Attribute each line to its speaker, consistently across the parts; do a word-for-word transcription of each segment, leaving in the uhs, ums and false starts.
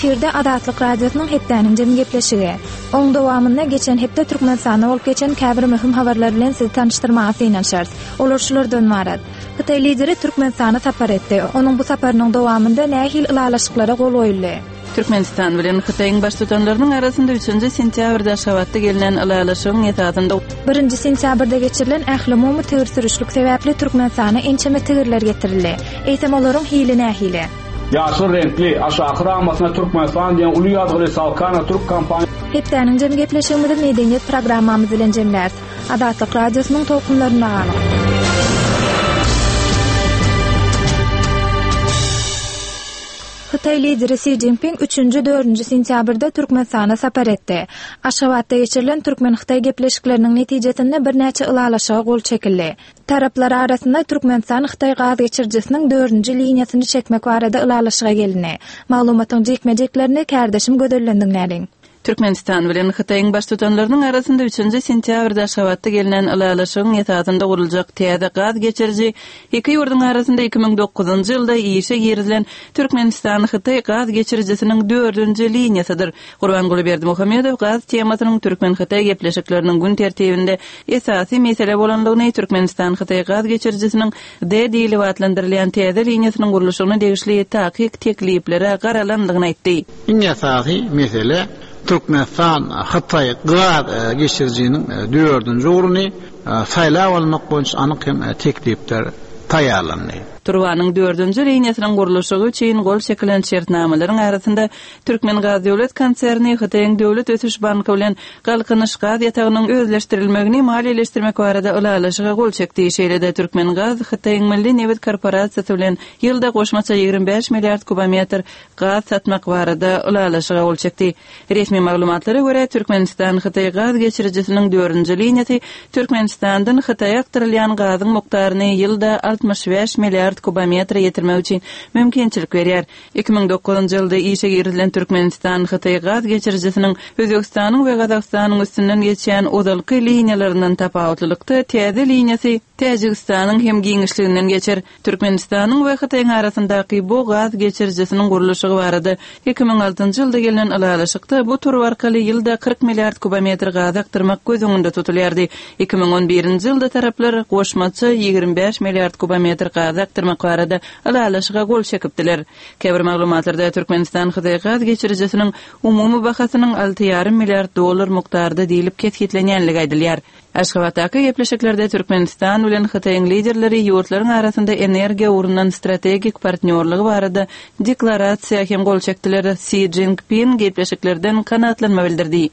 Speaker 1: Efirde Azatlyk Radiosynyň hepdäniň jemi gepleşigi. Oň dowamynda geçen hepde Türkmenistanda bolup geçen käbir möhüm habarlar bilen sizi tanyşdyrmaga synanyşarys. Olar şulardan ybarat. Hytaý lideri Türkmenistana sapar etdi. Onuň bu saparynyň dowamynda nähili ylalaşyklara gol goýuldy?
Speaker 2: Türkmenistan bilen Hytaýyň baştutanlarynyň arasynda üçünji sentýabrda Aşgabatda gelnen ylalaşygyň esasynda
Speaker 1: Birinji sentýabrda geçirilen ählumumy tigir sürüşlik sebäpli Türkmenistana ençeme tigirler getirildi. Eýsem olaryň hili nähili?
Speaker 3: Ýaşyl reňkli, aşaky ramasyna Türkmenistan diýen uly ýazgyly Salkana türk kompaniýasy.
Speaker 1: Hepdäniň jemi gepleşigimizi medeniýet programmamyz bilen jemläris. Azatlyk Radiosynyň tolkunlarynda galyň. Hytaý lideri Si Jinping üçünji, dördünji sentýabrda Türkmenistana sapar etdi. Aşgabatda geçirilen türkmen-hytaý gepleşikleriniň netijesinde birnäçe ylalaşyga gol çekildi. Taraplar arasynda Türkmenistan-Hytaý gaz geçirijisiniň dördünji liniýasyny çekmek barada ylalaşyga gelindi. Maglumatyň jikme-jiklerini kärdeşim Gözelden diňläliň.
Speaker 2: Türkmenistan bilen Hytaýyň baştutanlarynyň arasynda üçünji sentýabrda Aşgabatda gelnen ylalaşygyň esasynda guruljak täze gaz geçiriji iki ýurduň arasynda iki müň dokuzynjy ýylda işe girizilen Türkmenistan-Hytaý gaz geçirijisiniň dördünji liniýasydyr. Gurbanguly Berdimuhamedow gaz temasynyň türkmen-hytaý gepleşikleriniň gün tertibinde esasy mesele bolandygyny, Türkmenistan-Hytaý gaz geçirijisiniň D diýlip atlandyrylýan täze liniýasynyň gurluşygyna degişli takyk tekliplere garalandygyny aýtdy.
Speaker 4: Iň esasy mesele Türkmenistan-Hytaý gaz geçirijiniň dördünji ugruny saýlap almak boýunça anyk hem teklipler taýýarlandy.
Speaker 2: Turbanyň dördünji liniýasynyň gurluşygy üçin gol çekilen şertnamalaryň arasynda Türkmengaz döwlet konserni Hytaýyň döwlet ösüş banky bilen Galkynyş gaz ýatagynyň özleşdirilmegini maliýeleşdirmek barada ylalaşyga gol çekdi. Şeýle-de Türkmengaz Hytaýyň Milli nebit korporasiýasy bilen ýylda goşmaça ýigrimi bäş milliard kubometr gaz satmak barada ylalaşyga gol çekdi. Resmi maglumatlara görä, Türkmenistan-Hytaý gaz geçirijisiniň dördünji liniýasy Türkmenistandan Hytaýa akdyrylýan gazyň mukdaryny ýylda altmyş bäş milliard kubometre ýetirmek üçin mümkinçilik berýär. Iki müň dokuzynjy ýylda işe girizilen Türkmenistan-Hytaý gaz geçirijisiniň Özbegistanyň we Gazagystanyň üstünden geçýän ozalky liniýalaryndan tapawutlylykda täze liniýasy Täjigistanyň hem giňişliginden geçer. Türkmenistanyň we Hytaýyň arasyndaky bu gaz geçirijisiniň gurluşygy barada iki müň altynjy ýylda gelnen ylalaşykda bu turba arkaly ýylda kyrk milliard kubometr gaz akdyrmak göz öňünde tutulýardy. Iki müň on birinji ýylda taraplar goşmaça ýigrimi bäş milliard kubometr gaz akdyrmak barada ylalaşyga gol çekipdiler. Käbir maglumatlarda Türkmenistan-Hytaý gaz geçirijisiniň umumy bahasynyň alty ýarym milliard dollar mukdarda diýlip kesgitlenýänligi aýdylýar. Aşgabatdaky gepleşiklerde Türkmenistan bilen Hytaýyň liderleri ýurtlaryň arasynda energiýa ugrundan strategik partnýorlygy barada deklarasiýa hem gol çekdiler. Si Jinping gepleşiklerden kanagatlanma bildirdi.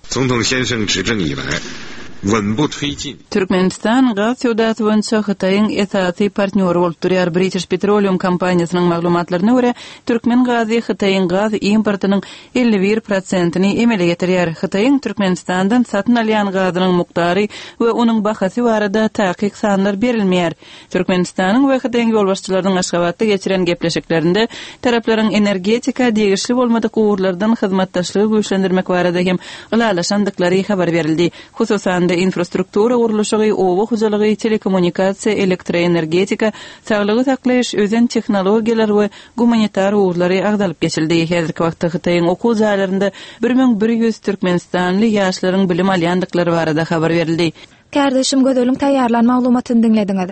Speaker 2: Türkmenistan gaz söwdasy boýunça Hytaýyň esasy partnýory bolup durýar. British Petroleum kompaniýasynyň maglumatlaryna görä, türkmen gazy Hytaýyň gaz importynyň elli bir prosentini emele getirýär. Hytaýyň Türkmenistandan satyn alýan gazynyň mukdary we onuň bahasy barada takyk sanlar berilmeýär. Türkmenistanyň we Hytaýyň ýolbaşçylarynyň Aşgabatda geçiren gepleşiklerinde taraplaryň energetika degişli bolmadyk ugurlardan hyzmatdaşlygy güýçlendirmek barada hem ylalaşandyklary habar berildi. Hususan-da infrastruktura gurluşygy, oba hojalygy, telekommunikasiýa, elektroenergetika, saglygy saklaýyş, ösen tehnologiýalar we gumanitar ugurlary agzalyp geçildi. Häzirki wagtda Hytaýyň okuw jaýlarynda bir müň bir ýüz türkmenistanly ýaşlaryň bilim alýandyklary barada habar berildi.
Speaker 1: Kärdeşim Gözeliň taýýarlan maglumatyny diňlediňiz.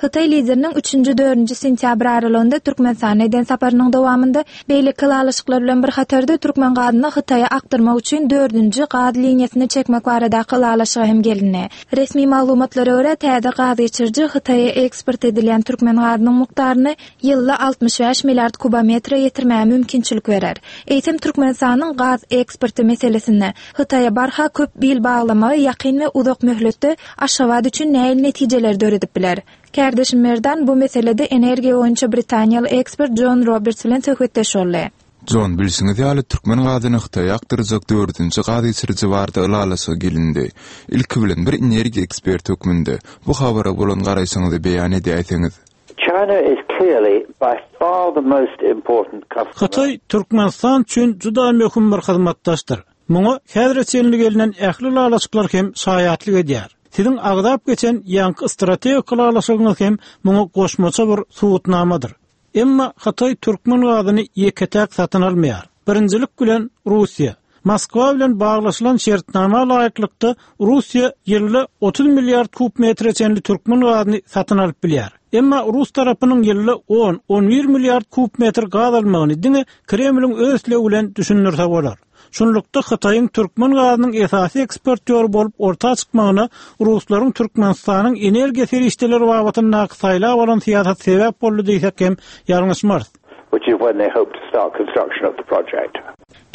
Speaker 1: Hytaý lideriniň üçünji, dördünji sentýabr aralygynda Türkmenistana eden saparynyň dowamynda beýleki ylalaşyklar bilen bir hatarda türkmen gazyny Hytaýa akdyrmak üçin dördünji gaz liniýasyny çekmek baradaky ylalaşyga hem gelindi. Resmi maglumatlara görä, täze gaz geçiriji Hytaýa eksport edilýän türkmen gazynyň mukdaryny ýylda altmyş bäş milliard kubometre ýetirmäge mümkinçilik berer. Eýsem Türkmenistanyň gaz eksporty meselesinde Hytaýa barha köp bil baglamagy ýakyn we uzak möhletde Aşgabat üçin nähili netijeler döredip biler? Kärdeşim Merdan bu meselede energiýa boýunça britaniýaly ekspert John Roberts bilen söhbetdeş boldy.
Speaker 5: John, bilşiňiz ýaly, türkmen gazyny Hytaýa akdyrjak dördünji gaz geçiriji barada ylalaşyga gelindi. Ilki bilen bir energiýa eksperti hökmünde bu habara bolan garaýşyňyzy beýan edäýseňiz.
Speaker 6: China is clearly by far the most important customer.
Speaker 7: Hytaý Türkmenistan üçin juda möhüm bir hyzmatdaşdyr. Muňa häzire çenli gelnen ähli ylalaşyklar hem şaýatlyk edýär. Siziň agzap geçen ýaňky strategik ylalaşygyňyz hem muňa goşmaça bir subutnamadyr. Emma Hytaý türkmen gazyny ýeke-täk satyn almaýar. Birinjilik bilen Russiýa. Moskwa bilen baglaşylan şertnama laýyklykda Russiýa ýylda otuz milliard kub metre çenli türkmen gazyny satyn alyp bilýär. Emma Rus tarapynyň ýylda on on bir milliard kub metr gaz almagyny diňe Kremliň öz islegi bilen düşündirse bolar. Şunlukda Hytaýyň türkmen gazynyň esasy eksportýory bolup orta çykmagyna Ruslaryň Türkmenistanyň energiýa serişdeleri babatyndaky saýlap alan syýasat sebäp boldy diýsek hem ýalňyşmarys.
Speaker 6: Which is when they hope to start construction of the project.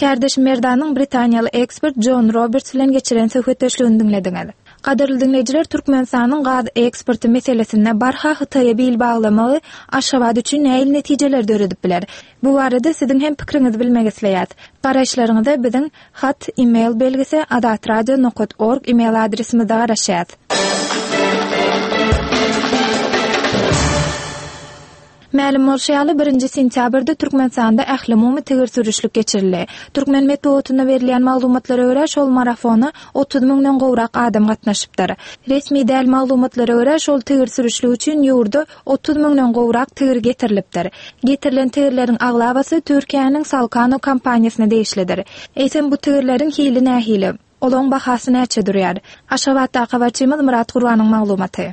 Speaker 1: Kardeş Merdanyň Britaniýaly ekspert John Roberts bilen geçiren söhbetdeşligini diňlediňiz. Gadyrly diňleýjiler, Türkmenistanyň gaz eksporty meselesinde barha Hytaýa bil baglamagy Aşgabat üçin näil netijeler döredip biler? Bu barada siziň hem pikiriňizi bilmek isleýäs. Garaýyşlaryňyzy biziň hat e-mail belgisi azatradio nokta org e-mail adresimizde garaşýas. Mälim bolşy ýaly, birinji sentýabrda Türkmenistanda ählumumy tigir sürüşlik geçirildi. Türkmen metbugatynda berilýän maglumatlara görä, şol marafona otuz müňden gowrak adam gatnaşypdyr. Resmi däl maglumatlara görä, şol tigir sürüşlik üçin ýurda otuz müňden gowrak tigir getirilipdir. Getirilen tigirleriň aglabasy Türkiýäniň Salkano kompaniýasyna degişlidir. Eýsem bu tigirleriň hili nähili? Olaň bahasy näçe durýar? Aşgabatdaky habarçymyz Murat Gurbanyň maglumaty.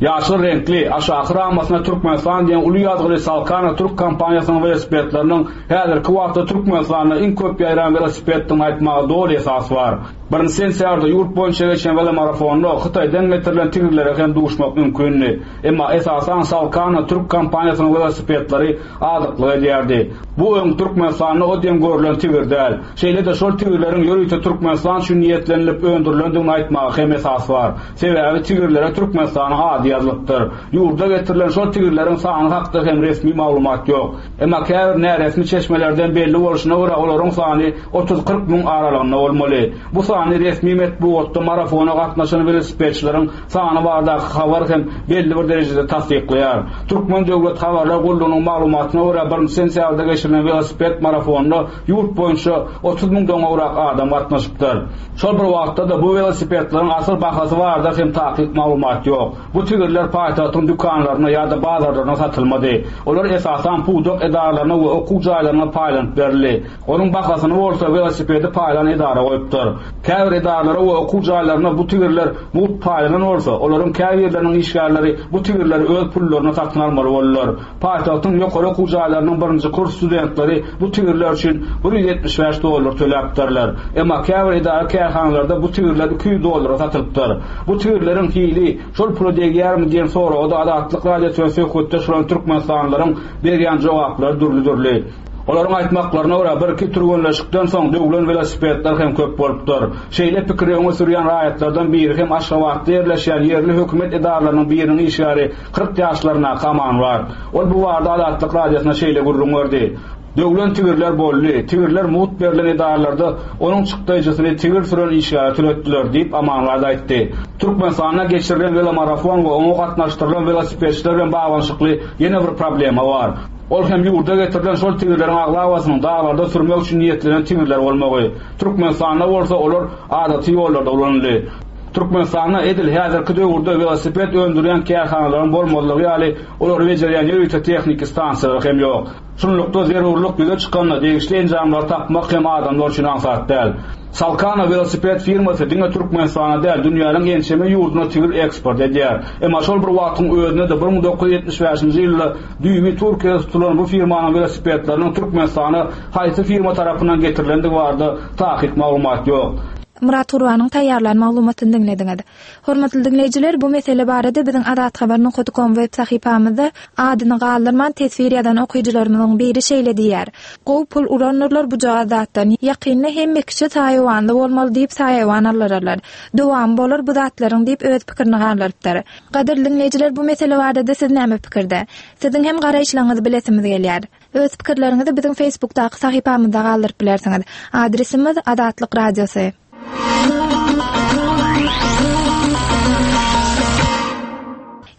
Speaker 3: Ýaşyl reňkli aşaky ramasyna Türkmenistan diýen uly ýazgyly Salkano türk kompaniýasynyň welosipedleriniň häzirki wagtda Türkmenistanda iň köp ýaýran welosipeddigini aýtmaga doly esas bar. Birinji sentýabrda ýurt boýunça geçen velomarafonda Hytaýdan getirilen tigirlere hem duşmak mümkindi. Emma esasan Salkano türk kompaniýasynyň welosipedleri azyklyk edýärdi. Bu öň Türkmenistanda o diýen görülen tigir däl. Şeýle-de şol tigirleriň ýörite Türkmenistan üçin niýetlenilip öndürilendigini aýtmaga hem esas bar. Sebäbi tigirlere Türkmenistanyň ady ýazylypdyr. Ýurda getirilen şol tigirleriň sany hakda hem resmi maglumat ýok. Emma käbir näresmi çeşmelerden belli bolşuna görä olaryň sany otuz kyrk müň aralygynda bolmaly. Bu sany resmi metbugatda marafona gatnaşan welosipedçileriň sany baradaky habar hem belli bir derejede tassyklaýar. Türkmen Döwlet Habarlar Gullugynyň maglumatyna görä birinji sentýabrda geçirilen welosiped marafonuna ýurt boýunça otuz müňden gowrak adam gatnaşypdyr. Şol bir wagtda da bu welosipedleriň asyl bahasy barada hem takyk maglumat ýok. Bu tigirler paýtagtyň dükanlaryna ýa-da bazarlaryna satylmady. Olar esasan pudak edaralaryna we okuw jaýlaryna paýlanyp berildi. Onuň bahasyny bolsa welosipedi paýlan edara goýupdyr. Käbir edaralara we okuw jaýlaryna bu tigirler mugt paýlanan bolsa, olaryň käbirleriniň işgärleri bu tigirleri öz pullaryna satyn almaly boldular. Paýtagtyň ýokary okuw jaýlarynyň birinji kurs studentleri bu tigirler üçin bir ýüz ýetmiş bäş dollar töläpdirler. Emma käbir edara kärhanalarda bu tigirler iki ýüz dollara satylypdyr. Bu tigirleriň hili şol pula degýärmi diýen soraga da Azatlyk Radiosynyň söhbetdeş bolan türkmenistanlylaryň berýän jogaplary dürli-dürli. Olaryň aýtmaklaryna görä bir iki türgenleşikden soň döwlen welosipedler hem köp bolupdyr. Şeýle pikiri öňe sürýän raýatlardan biri hem Aşgabatda ýerleşýän ýerli hökümet edaralarynyň biriniň işgäri kyrk ýaşlaryndaky Aman bar. Ol bu barada Azatlyk Radiosyna şeýle gürrüň berdi. Döwlen tigirler boldy. Tigirler mugt berlen edaralarda onuň çykdaýjysyny tigir süren işgäre töletdiler diýip Amanlar aýtdy. Türkmenistanda geçirilen velomarafon we oňa gatnaşdyrylan welosipedçiler bilen baglanyşykly ýene bir problema bar. Ol hem ýurda getirilen şol tigirleriň aglabasynyň daglarda sürmek üçin niýetlenen tigirler bolmagy. Türkmenistanda bolsa olar adaty ýollarda ulanyldy. Türkmenistanda edil häzirki döwürde welosiped öndürýän kärhanalaryň bolmazlygy ýaly olary bejerýän ýörite tehniki stansiýalar hem ýok. Şunlukda zerurlyk ýüze çykanda degişli enjamlary tapmak hem adamlar üçin aňsat däl. Salkano welosiped firmasy diňe Türkmenistana däl, dünýäniň ençeme ýurduna tigir eksport edýär. Emma şol bir wagtyň özünde de bir müň dokuz ýüz ýetmiş bäşinji ýylda düýbi Türkiýede tutulan bu firmanyň welosipedleriniň Türkmenistana haýsy firma tarapyndan getirilendigi barada takyk maglumat ýok.
Speaker 1: Murat Gurbanyň taýýarlan maglumatyny diňlediňiz. Hormatly diňleýjiler, bu mesele barada biziň azathabar nokta com web sahypamyzda adyny galdyrman teswir ýazan okyjylarymyzyň biri şeýle diýýär. Gow pul uranlarlar bu zatdan. Ýakynda hemme kişi saýawanly bolmaly diýip saýawan alyrarlar. Dowam bolar bu zatlaryň diýip öz pikirini galdyrypdyr. Gadyrly diňleýjiler, bu mesele barada siz näme pikirde? Siziň hem garaýyşlaryňyzy bilesimiz gelýär. Öz pikirleriňizi biziň Facebookdaky sahypamyzda galdyryp bilersiňiz. Adresimiz Azatlyk Radiosy.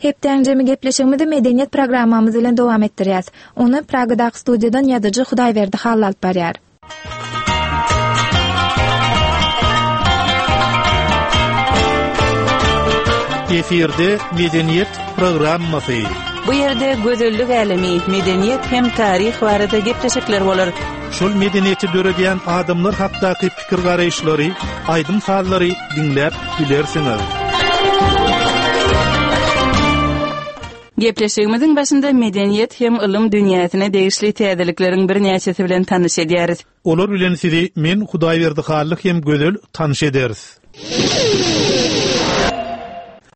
Speaker 1: Hepdäň jemi gepleşigimizi medeniýet programmamyz bilen dowam etdirýäs. Ony Pragadaky studiýadan ýazyjy Hudaýberdi Hally alyp barýar.
Speaker 8: Efirde medeniýet programmasy.
Speaker 2: Bu ýerde gözellik älemi, medeniýet hem taryh barada gepleşikler bolar.
Speaker 8: Şol medeniýeti döredýän adamlar hakdaky pikir garaýyşlary, aýdym sazlary diňläp bilersiňiz.
Speaker 2: Gepleşigimiziň başynda medeniýet hem ylym dünýäsine degişli täzelikleriň birnäçesi bilen tanyş edýäris.
Speaker 8: Olar bilen sizi men Hudaýberdi Hally hem Gözel tanyş ederis.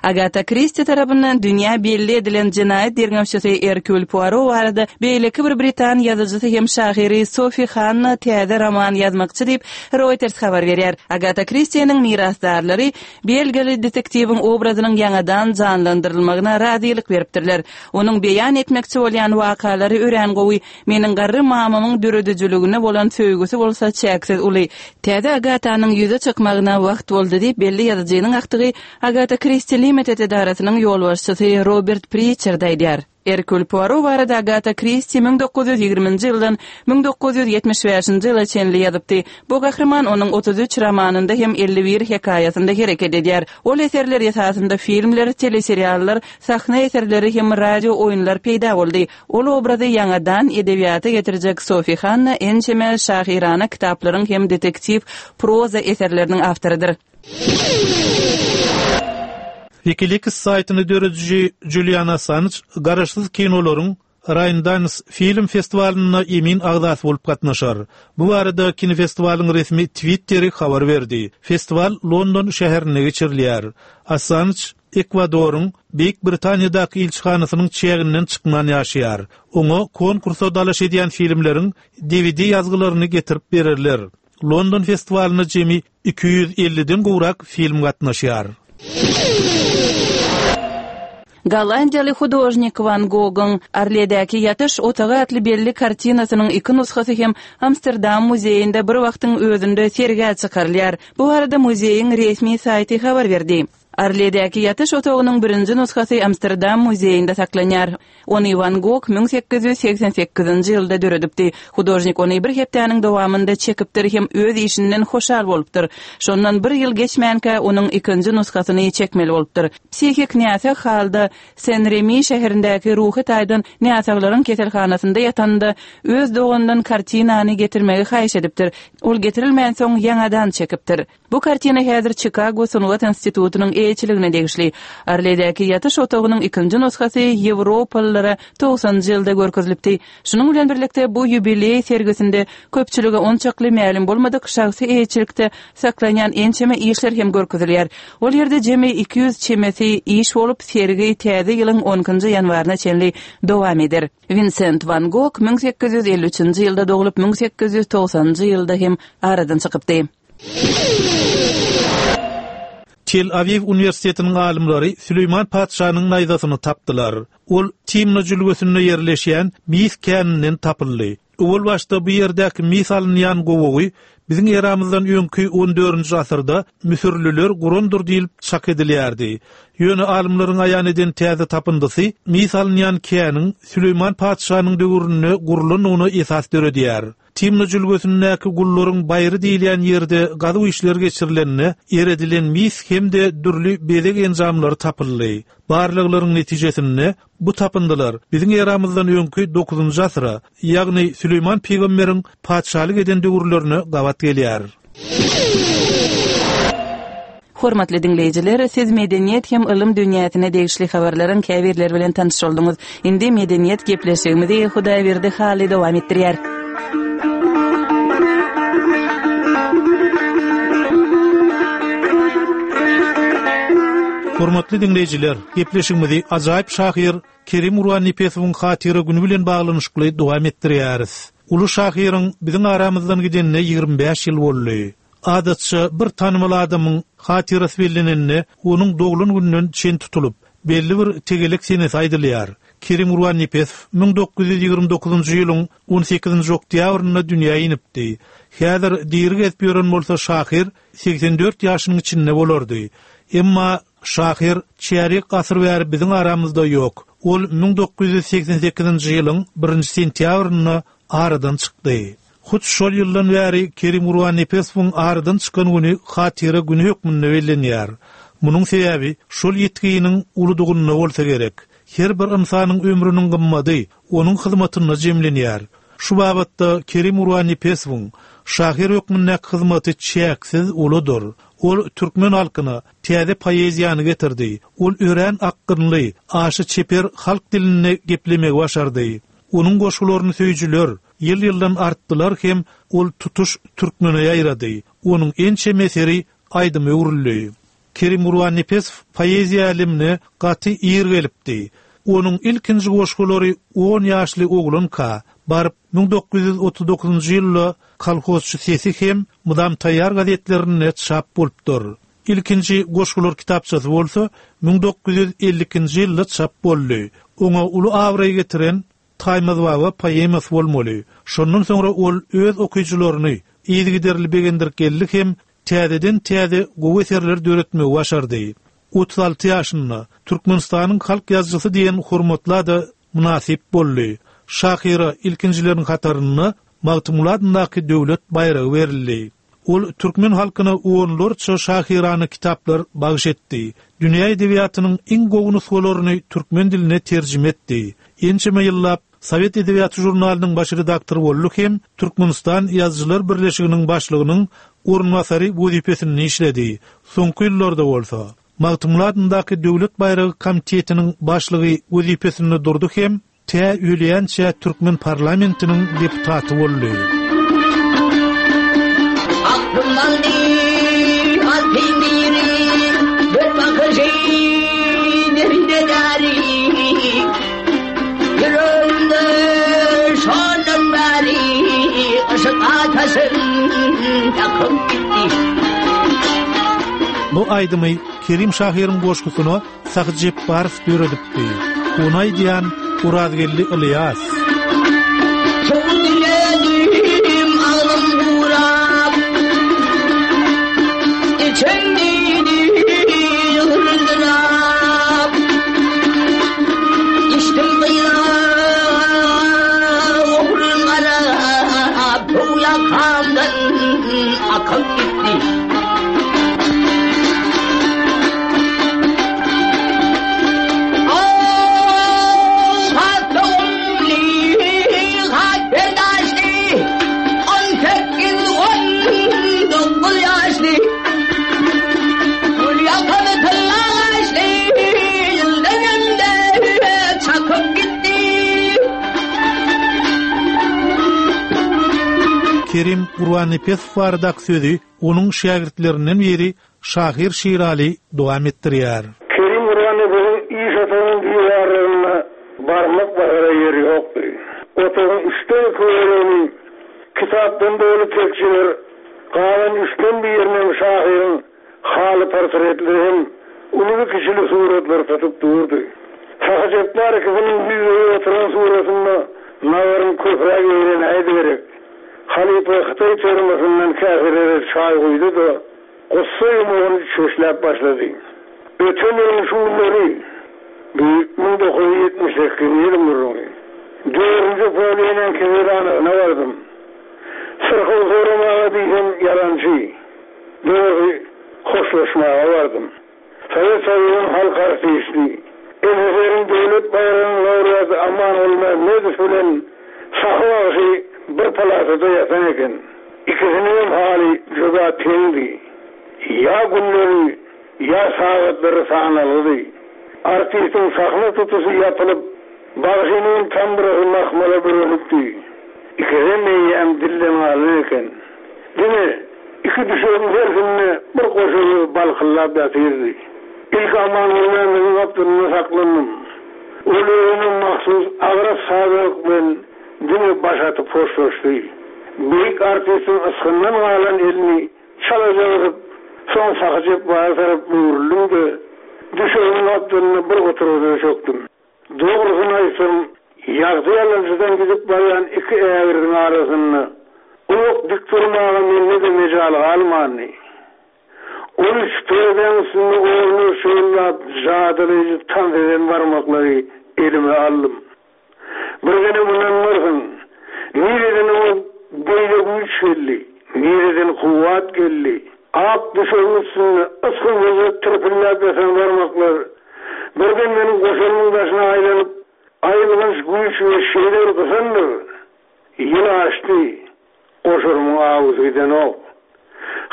Speaker 2: Agata Kristi tarapyndan dünýä belli edilen jenaýat derňewçisi Erkül Poirot barada beýleki bir britan ýazyjysy hem şahyry Sofi Hanna täze roman ýazmakçy diýip Reuters habar berýär. Agata Kristiniň mirasdarlary belgili detektiwiň obrazynyň ýaňadan janlandyrylmagyna razylyk beripdirler. Onuň beýan etmekçi bolýan wakalary örän gowy, meniň garry mamamyň döredijiligine bolan söýgüsi bolsa çäksiz uly. Täze Agatanyň ýüze çykmagyna wagt boldy diýip belli ýazyjynyň aktygy Agata Kristi Limited edarasynyň ýolbaşçysy Robert Pritchard aýdýar. Erkül Poirot barada Agata Kristi müň dokuz ýüz ýigriminji ýyldan müň dokuz ýüz ýetmiş bäşinji ýyla çenli ýazypdy. Bu gahryman onuň otuz üç romanynda hem elli bir hekaýasynda hereket edýär. Ol eserler esasynda filmler, teleseriallar, sahna eserleri hem radio oýunlar peýda boldy. Ol obrazy ýaňadan edebiýata getirjek Sofi Hanna ençeme şahyrana kitaplaryň hem detektiv proza eserleriniň awtorydyr.
Speaker 8: WikiLeaks saýtyny dörediji Julian Assange garaşsyz kinolaryň Sundance film festiwalyna emin agzasy bolup gatnaşar. Bu barada kinofestiwalyň resmi Twitteri habar berdi. Festiwal London şäherinde geçirilýär. Assange Ekwadoryň Beýik Britaniýadaky ilçihanasynyň çäginden çykman ýaşaýar. Oňa konkursa dalaş edýän filmleriň D V D ýazgylaryny getirip bererler. London festiwalyna jemi iki ýüz elliden gowrak film gatnaşýar.
Speaker 2: Gollandiýaly hudožnik Van Gogh'un Arledäki ýatyş otagy atly belli kartinasynyň iki nusgasy hem Amsterdam muzeýinde bir wagtyň özünde sergä çykarylýar. Bu barada muzeýiň resmi saýty habar berdi. Arledäki ýatyş otagynyň birinji nusgasy Amsterdam muzeýinde saklanýar. Ony Van Gogh müň sekiz ýüz seksen sekizinji ýylda döredipdi. Hudožnik ony bir hepdäniň dowamynda çekipdir hem öz işinden hoşal bolupdyr. Şondan bir ýyl geçmänkä onuň ikinji nusgasyny çekmeli bolupdyr. Psihik näsag halda Sen-Remi şäherindäki ruhy taýdan näsaglaryň keselhanasynda ýatanda öz dogandan kartinany getirmegi haýyş edipdir. Ol getirilmän soň ýaňadan çekipdir. Bu kartina häzir Chicago Sungat Institutynyň eýeçiligine degişli. Arledäki ýatyş otagynyň ikinji nusgasy Ýewropalylara togsanjy ýylda görkezilipdi. Şunuň bilen birlikde bu ýubileý sergisinde köpçülige onçakly mälim bolmadyk şahsy eýeçilikde saklanýan ençeme işler hem görkezilýär. Ol ýerde jemi iki ýüz çemesi iş bolup, sergi täze ýylyň on ikinji ýanwaryna çenli dowam eder. Vincent van Gogh müň sekiz ýüz elli üçünji ýylda doglup, müň sekiz ýüz togsanjy ýylda hem aradan çykypdy.
Speaker 8: Tel Aviv Uniwersitetiniň alymlary Süleýman patyşanyň naýzasyny tapdylar. Ol Timna jülgesinde ýerleşýän mis käninden tapyldy. Owal başda bu ýerdäki mis alynýan gowagy biziň eramyzdan öňki on dördünji asyrda Müsürliler gurandyr diýilip çak edilýärdi. Ýöne alymlaryň aýan eden täze tapyndysy mis alynýan käniň Süleýman patyşanyň döwründe gurlandygyna esas döredýär. Timna jülgesindäki gullaryň baýry diýilýän ýerde gazuw işleri geçirilende eredilen mis hem-de dürli bezeg enjamlary tapyldy. Barlaglaryň netijesinde bu tapyndylar biziň eramyzdan öňki dokuzynjy asyra, ýagny Süleýman pygamberiň patyşalyk eden döwürlerine gabat gelýär.
Speaker 2: Hormatly dinleýjiler, siz medeniýet hem ylym dünýäsine degişli habarlaryň käbirleri bilen tanyş bolduňyz. Indi medeniýet gepleşigimizi Hudaýberdi Hally dowam etdirýär.
Speaker 8: Hormatly dinleýjiler, gepleşigimizi ajaýyp şahyr Kerim Gurbannepesowyň hatyra günü bilen baglanyşykly dowam etdirýäris. Uly şahyryň biziň aramyzdan gidenine ýigrimi bäş ýyl boldy. Adatça bir tanymal adamyň hatyrasy bellenende onuň doglan gününden çen tutulyp, belli bir tegelek senesi aýdylýar. Kerim Gurbannepesow müň dokuz ýüz ýigrimi dokuzynjy ýylyň on sekizinji oktýabrynda dünýä inipdi. Häzir diri gezip ýören bolsa şahyr seksen dört ýaşynyň içinde bolardy. Emma şahyr çärýek asyr bäri biziň aramyzda ýok. Ol müň dokuz ýüz seksen sekizinji ýylyň birinji sentýabrynda aradan çykdy. Hut şol ýyldan bäri Kerim Gurbannepesowyň aradan çykan günü hatyra günü hökmünde bellenýär. Munuň sebäbi şol ýetginiň uludygynda bolsa gerek. Her bir insanyň ömrüniň gymmady onuň hyzmatynda jemlenýär. Şu babatda Kerim Gurbannepesowyň şahyr hökmündäki hyzmaty çäksiz uludyr. Ol türkmen halkyna täze poeziýany getirdi. Ol örän akgynly, aşa çeper halk dilinde geplemegi başardy. Onuň goşgularyny söýüjiler ýyl-ýyldan artdylar hem ol tutuş türkmene ýaýrady. Onuň ençeme eseri aýdyma öwrüldi. Kerim Gurbannepesow poeziýa älemine gaty ir gelipdi. Onuň ilkinji goşgulary on ýaşly oglanka baryp müň dokuz ýüz otuz dokuzynjy ýylda Kolhozçy sesi hem Mydam taýýar gazetlerinde çap bolupdyr. Ilkinji goşgular kitapçasy bolsa müň dokuz ýüz elli ikinji ýylda çap boldy. Oňa uly abraý getiren Taýmaz baba poemasy bolmaly. Şondan soňra ol öz okyjylaryny yzygiderli begendirip geldi hem täzeden täze gowy eserler döretmegi başardy. Otuz alty ýaşynda Türkmenistanyň halk ýazyjysy diýen hormatla da mynasyp boldy. Şahyra ilkinjileriň hatarynda Magtymguly adyndaky döwlet baýragy berildi. Ol türkmen halkyna onlarça şahyrany kitaplar bagyş etdi. Dünýä edebiýatynyň iň gowy nusgalaryny türkmen diline terjime etdi. Ençeme ýyllap Sowet edebiýaty žurnalynyň baş redaktory boldy hem Türkmenistan Ýazyjylar Birleşiginiň başlygynyň orunbasary wezipesinde işledi. Soňky ýyllarda bolsa Magtymguly adyndaky Döwlet baýragy komitetiniň başlygy wezipesinde durdy hem tä ölýänçä türkmen parlamentiniň deputaty boldy.
Speaker 9: Aklym aldy, altyn biri, bir bakyşy, neride däri. Ýüregimde şondan bäri, yşyk ataşyn ýakyp gitdi.
Speaker 8: Bu aýdymy Kerim şahyryň goşgusyna Sahy Jepbarow döredipdi. Ony aýdýan Urazgeldi Ilyas.
Speaker 9: Çok diledim ağlım gurap, içim didi yıldırap. İçtim kıyra, oğrun arap, bu yakamdan akıp gitti.
Speaker 8: Kerim Gurbannepesow baradaky sözi onuň şägirtlerinden biri Şahyr Şirali dowam etdirýär.
Speaker 10: Kerim Gurbannepesowyň iş otagynyň diwarlarynda barmak basara ýeri ýokdy. Otagyň üçden iki bölegini kitapdan doly tekjeler, galan üçden birinem şahyryň haly portretleri hem uly kiçili suratlar tutup durdy. Sahy Jepbar ikisiniň ýüzüne oturan suratynda nazaryň köpräk eýlenäýdi gerek. Halypa Hytaý termosyndan käselere çaý guýdy-da, gussa ýumugyny çöşläp başlady. Öten ýylyň şu günleri, müň dokuz ýüz ýetmiş sekizinji ýylyň gürrüňi. Dördünji polýenen keselhanasyna bardym. Syrkaw soramaga diýsem ýalançy. Dogry hoşlaşmaga bardym. Sowet Soýuzynyň halk artisti, S S R-iň döwlet baýragynyň laureaty Aman Gulmämmedow bilen Sahy bagşy bir palatada ýatan eken. Ikisiniň haly juda teňdi. Ýa günleri, ýa sagatlary sanalgydy. Artistiň sahna tutusy ýapylyp, bagşynyň tamdyrasy mahmala bürenipdi. Ikisem eýýäm dilden galan eken. Diňe iki düşegiň hersinde bir goşa balkyllap ýatyrdy. Ilk Aman Gulmämmediň gapdalynda saklandym. Ol özüne mahsus agras sadalyk bilen diňe baş atyp hoşlaşdy. Beýik artistiň ysgyndan galan elini çalaja gysyp, soň Sahy Jepbara tarap öwrüldim-de, düşegiň gapdalynda bir oturgyja çökdüm. Dogrusyny aýtsam, ýagty ýalançydan gidip barýan iki ägirdiň arasynda uzak dik durmaga mende-de mejal galmandy. On üç perdäň üstünde orny şöllap jadylyjy tans eden barmaklary elime aldym. Bir gene mundan nireden o beýle güýç geldi, nireden kuwwat geldi. Ak düşegiň üstünde ysgynsyzja tırpillap ýatan barmaklar birden meniň goşalymyň daşyna aýlanyp, aýylganç güýç we şeýle bir gysandyr. Ýyl aşdy, goşarymyň awusy gidenok.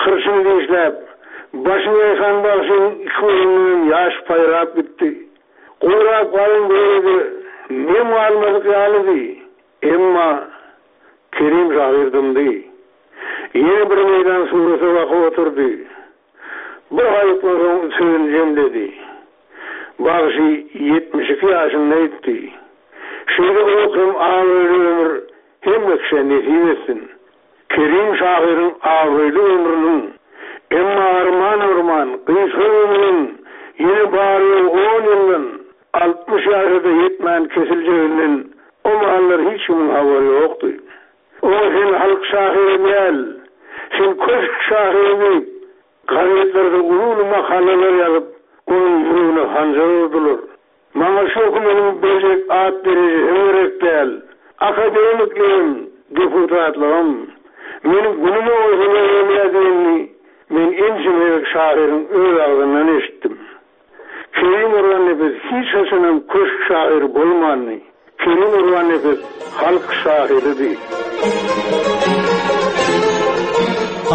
Speaker 10: Hyrçyny dişläp, başyny ýaýkan bagşynyň iki gözünden ýaş paýrap gitdi. Gurap galan göwrede nem galmadyk ýalydy. Emma Kerim şahyr dymdy. Ýene bir meýdan surata bakyp oturdy. Bir haýykdan soň sözüni jemledi. Bagşy ýetmiş iki ýaşynda ýetdi. Şeýle uzak hem abraýly ömür hemme kişä nesip etsin. Kerim şahyryň abraýly ömrüniň, emma arman-arman gysga ömrüniň ýene bary-ýogy on ýyldan altmyş ýaşa-da ýetmän kesiljeginden o mahallar hiç kimiň habary ýokdy. Oňa sen halk şahyry däl, sen köşk şahyry diýip, gazetlerde uly-uly makalalar ýazyp, onuň ýüregine hanjar urdular. Maňa şu hökümetiň berjek at derejesem gerek däl, akademikligim, deputatlygym. Meniň günüme goýsalar bolýar diýenini men ençeme gezek şahyryň öz agzyndan eşitdim. Kerim Gurbannepes hiç haçanam köşk şahyry bolmandy. Kerim Gurbannepes halk şahyrydy.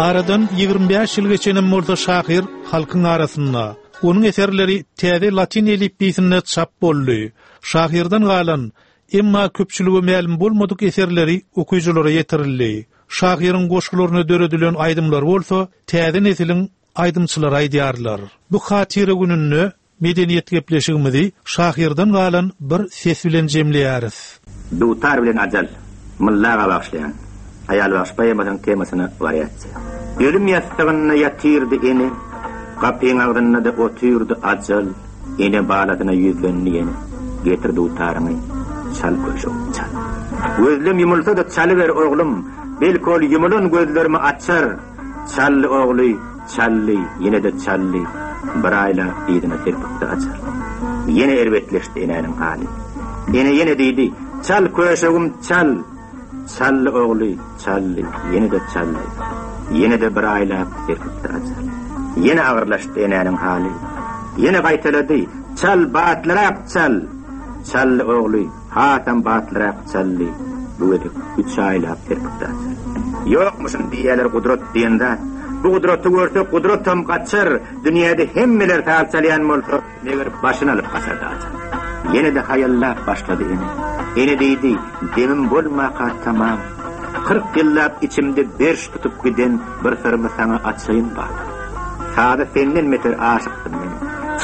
Speaker 8: Aradan ýigrimi bäş ýyl geçenem bolsa şahyr halkyň arasynda. Onuň eserleri täze latyn elipbiýsinde çap boldy. Şahyrdan galan, emma köpçülige mälim bolmadyk eserleri okyjylara ýetirildi. Şahyryň goşgularyna döredilen aýdymlar bolsa täze nesiliň aýdymçylary aýdýarlar. Bu hatyra gününde medeniýet gepleşigimizi şahyrdan galan bir ses bilen jemleýäris.
Speaker 11: Dutar bilen ajal, Myllaga bagyşlaýan Aýal bagşy poemasynyň temasyna wariasiýa. Ölüm ýassygynda ýatyrdy ene, gapyň agzynda-da otyrdy ajal, ene balasyna ýüzlendi ýene, getir dutaryňy, çal köşek, çal. Gözlem ýumulsa-da çalyber oglum, belki ol ýumulan gözlerimi açar. Çaldy ogly, çaldy, ýene-de çaldy, bir aýlap yzyna serpikdi ajal. Ýene erbetleşdi enäniň haly. Ene ýene diýdi, çal köşegim, çal. Çaldy ogly, çaldy, ýene-de çaldy. Ýene-de bir aýlap serpikdi ajal. Ýene agyrlaşdy enäniň haly. Ýene gaýtalady, çal, batlyrak çal. Çaldy ogly, hasam batlyrak çaldy. Bu gezek üç aýlap serpikdi ajal. Ýokmuşyn diýýärler gudrat diýen zat. Bu gudraty görse gudratam gaçar. Dünýäde hemmeler saz çalýan bolsa, meger başyny alyp gaçardy ajal. Ýene-de haýallap başlady ene. Ene diýdi, demim bolmaka tamam. Kyrk ýyllap içimde berş tutup giden bir syrymy saňa açaýyn bak. Saza senden beter aşykdym men.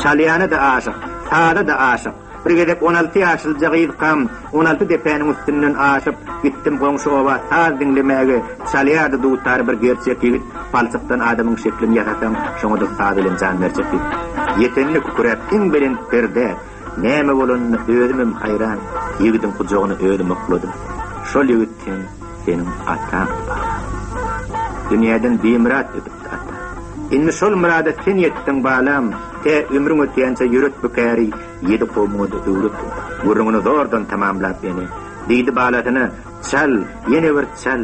Speaker 11: Çalýana-da aşyk, saza-da aşyk. Bir gezek on alty ýaşlyja gyzkam, on alty depäniň üstünden aşyp, gitdim goňşy oba saz diňlemäge. Çalýardy dutary bir gerçek ýigit, palçykdan adamyň şeklini ýasasaň, şoňa-da saz bilen jan berjek ýigit. Ýetende kükräp iň belent perde, näme bolanyna özümem haýran, ýigidiň gujagyna özüm okladym. Şol ýigit hem seniň ataňdy baba. Dünýäden bimyrat ötüpdi ata. Indi şol myrada sen ýetdiň balam, tä ömrüň ötýänçe ýöret bu käri, ýedi kowmuňa-da öwret. Gürrüňini zordan tamamlap ene, diýdi balasyna, çal, ýene bir çal.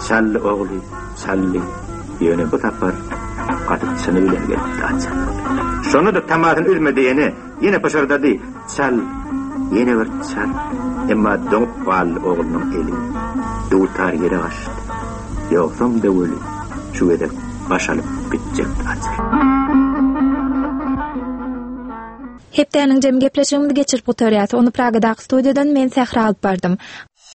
Speaker 11: Çaldy ogly, çaldy. Ýöne bu sapar gaty çyny bilen gelipdi ajal. Şonda-da tamasyny üzmedi ene, ýene pyşyrdady, çal, ýene bir çal. Emma doňup galdy oglunyň eli. Dutar ýere gaçdy. Ýogsam-da weli şu gezek baş alyp gitjekdi ajal.
Speaker 1: Hepdäniň jem gepleşigimizi geçirip gutarýas. Ony Pragadaky studiýadan men Sähra alyp bardym.